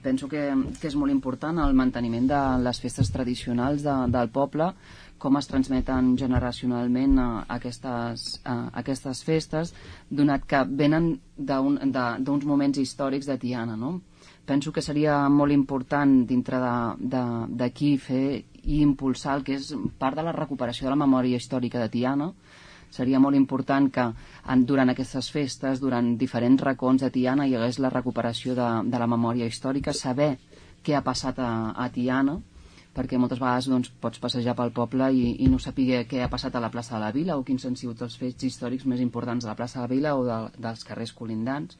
penso que és molt important el manteniment de les festes tradicionals del poble, com es transmeten generacionalment aquestes festes, donat que venen d'uns moments històrics de Tiana, no? Penso que seria molt important dintre d'aquí fer i impulsar el que és part de la recuperació de la memòria històrica de Tiana. Seria molt important que durant aquestes festes, durant diferents racons de Tiana, hi hagués la recuperació de la memòria històrica, saber què ha passat a Tiana, perquè moltes vegades pots passejar pel poble i no saber què ha passat a la plaça de la Vila o quins han sigut els fets històrics més importants de la plaça de la Vila o dels carrers colindants.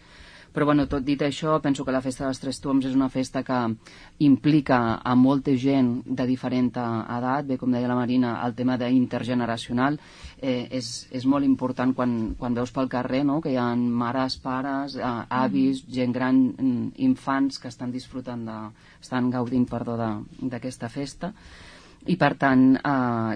Però tot dit això, penso que la festa dels Tres Tombs és una festa que implica a molta gent de diferent edat. Bé, com deia la Marina, el tema d'intergeneracional és molt important quan veus pel carrer, no?, que hi ha mares, pares, avis, gent gran, infants que estan estan gaudint d'aquesta festa. I per tant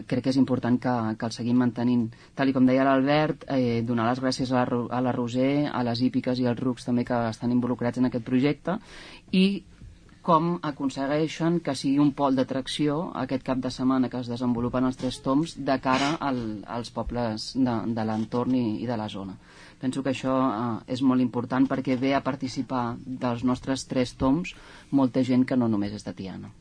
crec que és important que el seguim mantenint, tal com deia l'Albert, donar les gràcies a la Roser, a les hípiques i als rucs també que estan involucrats en aquest projecte, i com aconsegueixen que sigui un pol d'atracció aquest cap de setmana que es desenvolupen els Tres Tombs de cara als pobles de l'entorn i de la zona. Penso que això és molt important perquè ve a participar dels nostres Tres Tombs molta gent que no només és de Tiana.